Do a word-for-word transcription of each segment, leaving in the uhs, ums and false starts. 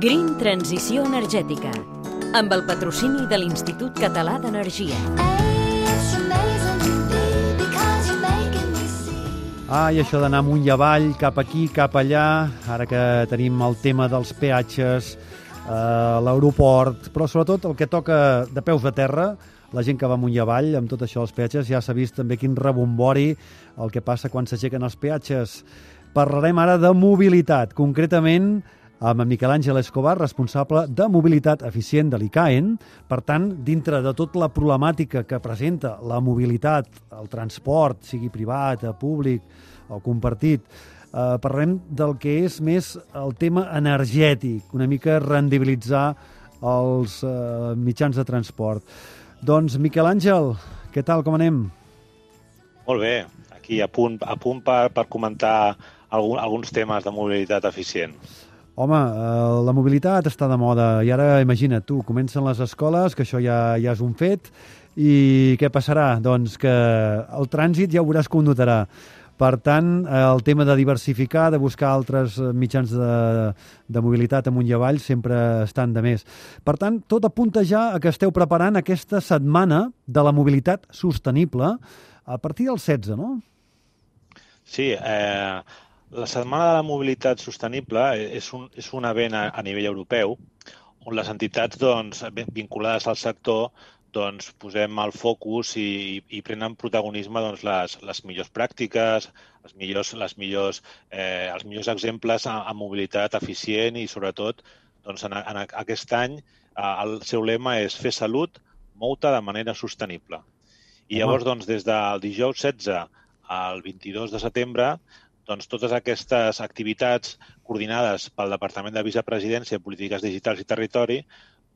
Green Transició Energètica, amb el patrocini de l'Institut Català d'Energia. Ah, i això d'anar amunt i avall, cap aquí, cap allà, ara que tenim el tema dels peatges, eh, l'aeroport, però sobretot el que toca de peus a terra, la gent que va amunt i avall, amb tot això dels peatges, ja s'ha vist també quin rebombori el que passa quan s'aixequen els peatges. Parlarem ara de mobilitat, concretament amb en Miquel Àngel Escobar, responsable de mobilitat eficient de l'I C A E N. Per tant, dintre de tota la problemàtica que presenta la mobilitat, el transport, sigui privat, públic o compartit, eh, parlarem del que és més el tema energètic, una mica rendibilitzar els eh, mitjans de transport. Doncs, Miquel Àngel, què tal, com anem? Molt bé, aquí a punt, a punt per, per comentar algun, alguns temes de mobilitat eficient. Home, eh, la mobilitat està de moda i ara, imagina't tu, comencen les escoles, que això ja, ja és un fet, i què passarà? Doncs que el trànsit ja ho veuràs com notarà. Per tant, el tema de diversificar, de buscar altres mitjans de, de mobilitat amunt i avall sempre estan de més. Per tant, tot apunta ja a que esteu preparant aquesta setmana de la mobilitat sostenible a partir del setze, no? Sí, eh, la Setmana de la Mobilitat Sostenible és un, és un event a, a nivell europeu on les entitats doncs, vinculades al sector doncs, posem el focus i, i prenen protagonisme doncs, les, les millors pràctiques, les millors, les millors, eh, els millors exemples en, en mobilitat eficient i, sobretot, doncs, en, en aquest any eh, el seu lema és fer salut, mou-te de manera sostenible. I llavors, doncs, des del dijous setze al vint-i-dos de setembre, doncs, totes aquestes activitats coordinades pel Departament de Vicepresidència, Polítiques Digitals i Territori,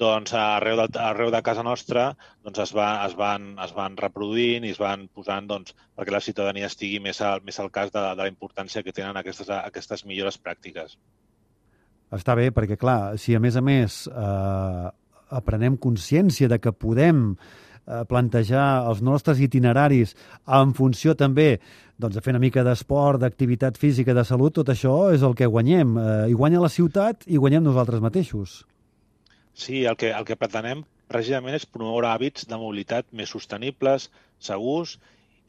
doncs, arreu de, arreu de casa nostra doncs, es, va, es, van, es van reproduint i es van posant doncs, perquè la ciutadania estigui més al, més al cas de, de la importància que tenen aquestes, aquestes millores pràctiques. Està bé, perquè, clar, si a més a més eh, aprenem consciència de que podem plantejar els nostres itineraris en funció també doncs, de fer una mica d'esport, d'activitat física, de salut, tot això és el que guanyem. Eh, I guanya la ciutat i guanyem nosaltres mateixos. Sí, el que, el que pretenem precisament és promoure hàbits de mobilitat més sostenibles, segurs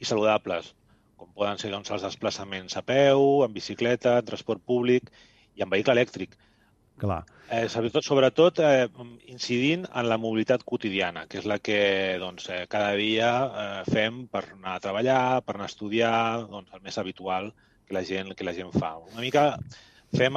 i saludables, com poden ser doncs, els desplaçaments a peu, en bicicleta, en transport públic i en vehicle elèctric. Clar. Eh, sobretot, sobretot eh, incidint en la mobilitat quotidiana, que és la que doncs, eh, cada dia eh, fem per anar a treballar, per anar a estudiar, doncs, el més habitual que la gent, que la gent fa. Una mica fem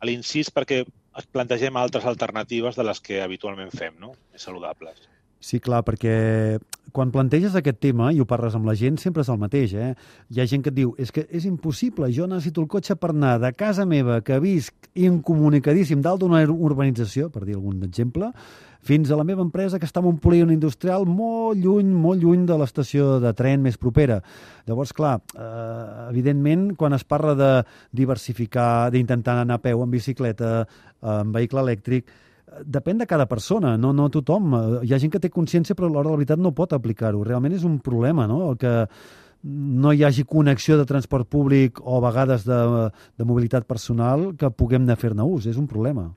l'incís perquè es plantegem altres alternatives de les que habitualment fem, no? Més saludables. Sí, clar, perquè quan planteges aquest tema i ho parles amb la gent, sempre és el mateix, eh? Hi ha gent que et diu, és que és impossible, jo necessito el cotxe per anar de casa meva, que visc incomunicadíssim dalt d'una urbanització, per dir algun exemple, fins a la meva empresa que està en un polígon industrial molt lluny, molt lluny de l'estació de tren més propera. Llavors, clar, eh, evidentment, quan es parla de diversificar, d'intentar anar a peu, en bicicleta, en vehicle elèctric, depèn de cada persona, no, no tothom. Hi ha gent que té consciència però a l'hora de la veritat no pot aplicar-ho. Realment és un problema, no?, el que no hi hagi connexió de transport públic o a vegades de, de mobilitat personal que puguem anar a fer-ne ús. És un problema.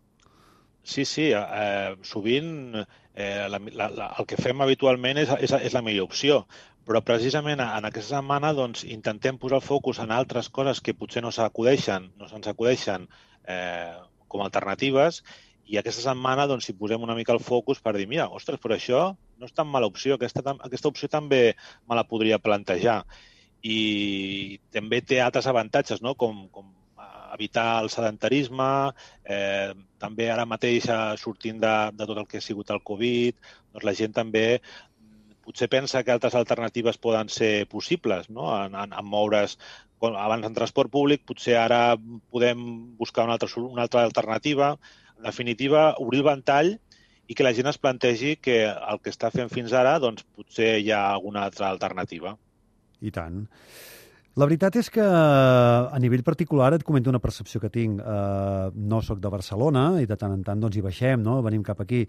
Sí, sí. Eh, sovint eh, la, la, la, el que fem habitualment és, és, és la millor opció, però precisament en aquesta setmana doncs, intentem posar el focus en altres coses que potser no s'acudeixen, no se'ns acudeixen eh, com a alternatives. I aquesta setmana doncs, hi posem una mica el focus per dir, mira, ostres, però això no és tan mala opció, aquesta, aquesta opció també me la podria plantejar. I també té altres avantatges, no? com, com evitar el sedentarisme, eh, també ara mateix sortint de, de tot el que ha sigut el Covid, doncs la gent també potser pensa que altres alternatives poden ser possibles, no? en, en, en moure's abans en transport públic, potser ara podem buscar una altra, una altra alternativa. En definitiva, obrir el ventall i que la gent es plantegi que el que està fent fins ara, doncs potser hi ha alguna altra alternativa. I tant. La veritat és que a nivell particular et comento una percepció que tinc. Uh, no sóc de Barcelona i de tant en tant doncs, hi baixem, no? Venim cap aquí.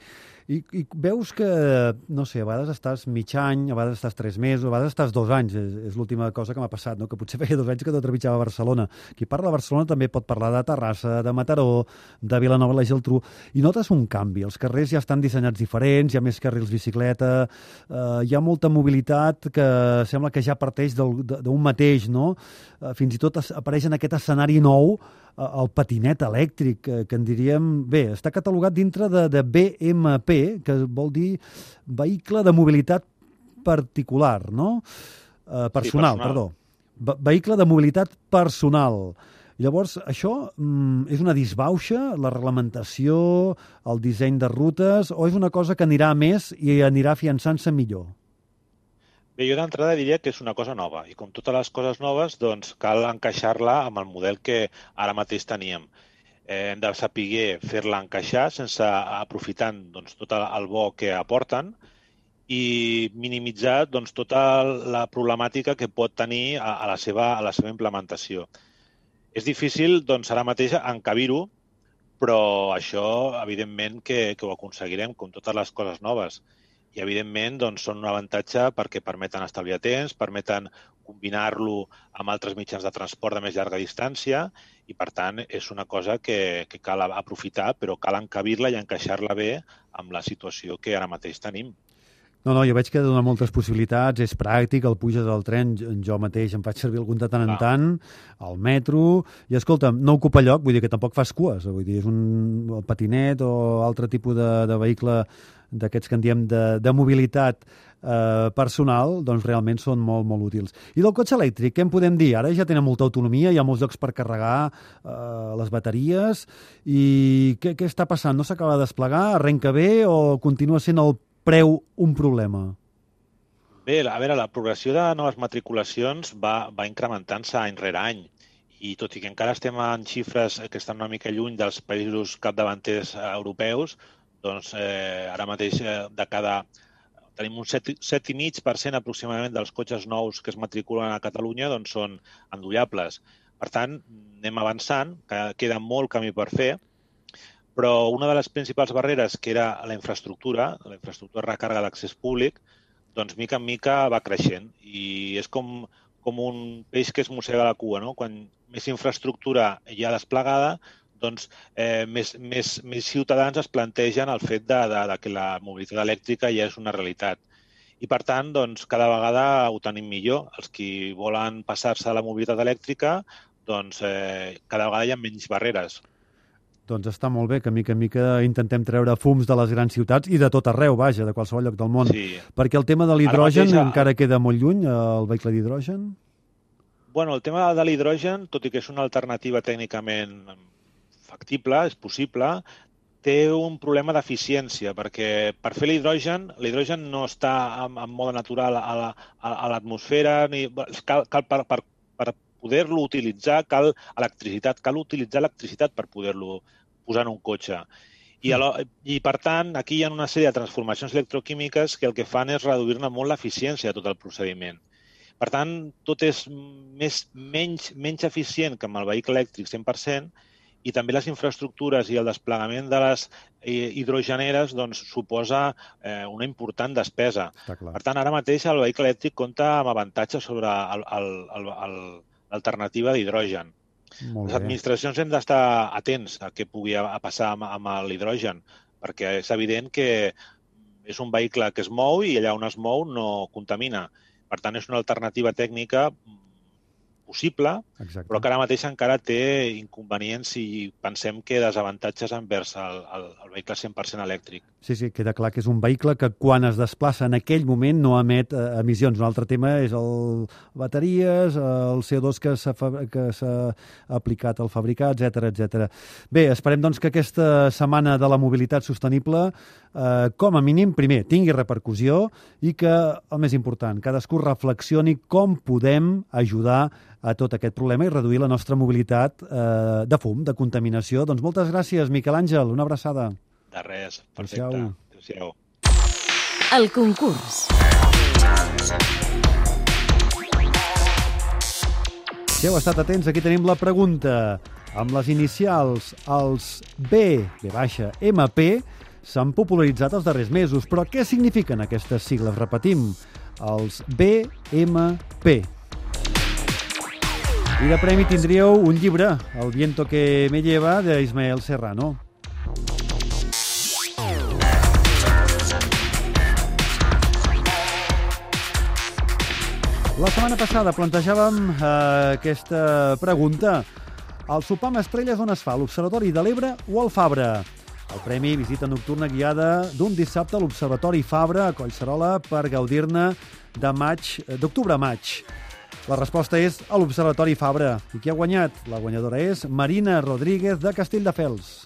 I, I veus que, no sé, a vegades estàs mig any, a vegades estàs tres mesos, a vegades estàs dos anys. És, és l'última cosa que m'ha passat, no? Que potser feia dos anys que no trepitjava a Barcelona. Qui parla de Barcelona també pot parlar de Terrassa, de Mataró, de Vilanova i la Geltrú. I notes un canvi. Els carrers ja estan dissenyats diferents, hi ha més carrils bicicleta, uh, hi ha molta mobilitat que sembla que ja parteix d'un mateix, no? Uh, fins i tot apareix en aquest escenari nou uh, el patinet elèctric, que, que en diríem... Bé, està catalogat dintre de, de B M P, que vol dir vehicle de mobilitat particular, no? Uh, personal, sí, personal, perdó. Ve vehicle de mobilitat personal. Llavors, això mm, és una disbauxa, la reglamentació, el disseny de rutes, o és una cosa que anirà més i anirà afiançant-se millor? Bé, jo d'entrada diria que és una cosa nova i com totes les coses noves doncs cal encaixar-la amb el model que ara mateix teníem. Eh, hem de saber fer-la encaixar sense aprofitant doncs, tot el bo que aporten i minimitzar doncs, tota la problemàtica que pot tenir a, a, la, seva, a la seva implementació. És difícil doncs, ara mateix encabir-ho, però això evidentment que, que ho aconseguirem com totes les coses noves. I, evidentment, doncs, són un avantatge perquè permeten estalviar temps, permeten combinar-lo amb altres mitjans de transport de més llarga distància i, per tant, és una cosa que, que cal aprofitar, però cal encabir-la i encaixar-la bé amb la situació que ara mateix tenim. No, no, jo veig que dona moltes possibilitats, és pràctic, el puges al tren, jo mateix em faig servir algun de tant en ah. tant, al metro, i escolta'm, no ocupa lloc, vull dir que tampoc fas cues, vull dir, és un patinet o altre tipus de, de vehicle d'aquests que en diem de, de mobilitat eh, personal, doncs realment són molt, molt útils. I del cotxe elèctric, què en podem dir? Ara ja tenen molta autonomia, hi ha molts llocs per carregar eh, les bateries, i què, què està passant? No s'acaba de desplegar? Arrenca bé o continua sent el preu un problema? Bé, a veure, la progressió de noves matriculacions va, va incrementant-se any rere any. I tot i que encara estem en xifres que estan una mica lluny dels països capdavanters europeus, doncs eh, ara mateix eh, de cada... tenim un set coma cinc per cent aproximadament dels cotxes nous que es matriculen a Catalunya doncs són endollables. Per tant, anem avançant, que queda molt camí per fer, però una de les principals barreres, que era la infraestructura, la infraestructura de recàrrega d'accés públic, doncs mica en mica va creixent. I és com, com un peix que es mossega la cua, no? Quan més infraestructura hi ha desplegada, doncs eh, més, més, més ciutadans es plantegen el fet de, de, de que la mobilitat elèctrica ja és una realitat. I, per tant, doncs, cada vegada ho tenim millor. Els qui volen passar-se a la mobilitat elèctrica, doncs eh, cada vegada hi ha menys barreres. Doncs està molt bé que mica en mica intentem treure fums de les grans ciutats i de tot arreu, vaja, de qualsevol lloc del món. Sí. Perquè el tema de l'hidrogen mateix, encara queda molt lluny, el vehicle d'hidrogen? Bueno, el tema de l'hidrogen, tot i que és una alternativa tècnicament factible, és possible, té un problema d'eficiència, perquè per fer l'hidrogen, l'hidrogen no està en, en mode natural a l'atmosfera, ni cal, cal per, per, per poder-lo utilitzar, cal electricitat, cal utilitzar electricitat per poder-lo posar en un cotxe. I, I, per tant, aquí hi ha una sèrie de transformacions electroquímiques que el que fan és reduir-ne molt l'eficiència de tot el procediment. Per tant, tot és més, menys, menys eficient que amb el vehicle elèctric cent per cent, i també les infraestructures i el desplegament de les hidrogeneres doncs, suposa eh, una important despesa. Per tant, ara mateix el vehicle elèctric compta amb avantatges sobre l'alternativa d'hidrogen. Les administracions hem d'estar atents a què pugui passar amb, amb l'hidrogen, perquè és evident que és un vehicle que es mou i allà on es mou no contamina. Per tant, és una alternativa tècnica possible, exacte, però que ara mateix encara té inconvenients i pensem que desavantatges envers el, el, el vehicle cent per cent elèctric. Sí, sí, queda clar que és un vehicle que quan es desplaça en aquell moment no emet eh, emissions. Un altre tema és el bateries, el C O dos que s'ha aplicat al fabricar, etcètera, etcètera. Bé, esperem doncs que aquesta setmana de la mobilitat sostenible eh, com a mínim, primer, tingui repercussió i que, el més important, cadascú reflexioni com podem ajudar a tot aquest problema i reduir la nostra mobilitat eh, de fum, de contaminació. Doncs moltes gràcies, Miquel Àngel, una abraçada. De res, perfecte. Adéu-siau. El concurs. Si heu estat atents, aquí tenim la pregunta. Amb les inicials, els B, B baixa, M P, s'han popularitzat els darrers mesos. Però què signifiquen aquestes sigles? Repetim, els B M P. I de premi tindríeu un llibre, El viento que me lleva, d'Ismael Serrano. La setmana passada plantejàvem eh, aquesta pregunta. El sopar amb estrelles on es fa? A l'Observatori de l'Ebre o al Fabra? El premi visita nocturna guiada d'un dissabte a l'Observatori Fabra a Collserola per gaudir-ne de maig, d'octubre a maig. La resposta és a l'Observatori Fabra. I qui ha guanyat? La guanyadora és Marina Rodríguez de Castelldefels.